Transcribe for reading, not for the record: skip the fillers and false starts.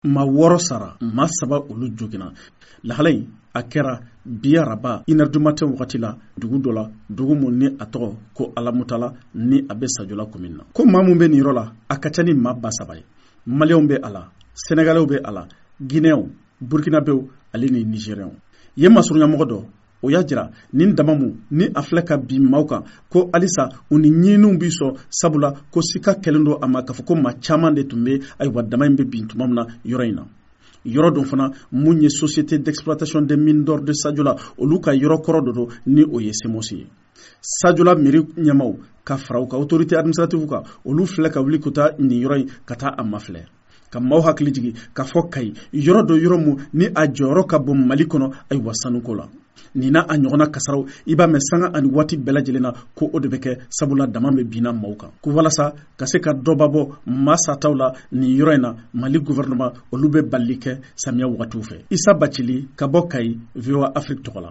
Maa 6 sara, maa 3 olu joginna. Lahala in a kɛra bi araba une heure du matin wagati la, dugu dɔ la, dugu mun ni a tɔgɔ ko Alamutala, ni a bɛ Sajola commune na. Ko maa mun bɛ nin yɔrɔ la, a ka ca ni maa 3000 ye. Maliyɛnw bɛ a la, Sɛnɛgalɛw bɛ a la, Guinéenw, Burkinabéw ale ni Nigérienw. Yen masurunyamɔgɔ dɔ o y'a jira nin dama mun ni a filɛ ka bin maaw kan, ko halisa u ni ɲininiw b'i sɔn, sabula ko sika kɛlen don a ma k'a fɔ ko maa caman de tun bɛ, ayiwa, dama in bɛ bin tuma min na yɔrɔ in na. Yɔrɔ dɔ fana mun ye Société d'exploitation des mines d'or de Sadiola, olu ka yɔrɔ kɔrɔ dɔ don, ni o ye SEMOS ye. Sadiola mairie ɲɛmaw ka fara u ka autorité administrative kan, olu filɛ ka wuli ka taa nin yɔrɔ in ka taa a mafilɛ, ka maaw hakili jigin k'a fɔ Kayi yɔrɔ dɔ, yɔrɔ mun ni a jɔyɔrɔ ka bon Mali kɔnɔ, ayiwa, sanuko la. Nin n'a a ɲɔgɔnna kasaraw, i b'a mɛn sanga ani waati bɛɛ lajɛlen na ko o de bɛ kɛ, sabula dama bɛ binna maaw kan. Ko walasa ka se ka dɔba bɔ maa sataw la nin yɔrɔ in na, Mali gouvernement olu bɛ balili kɛ samiya wagatiw fɛ. Isa Bacili ka bɔ Kayi, VOA Afrique tɔgɔ la.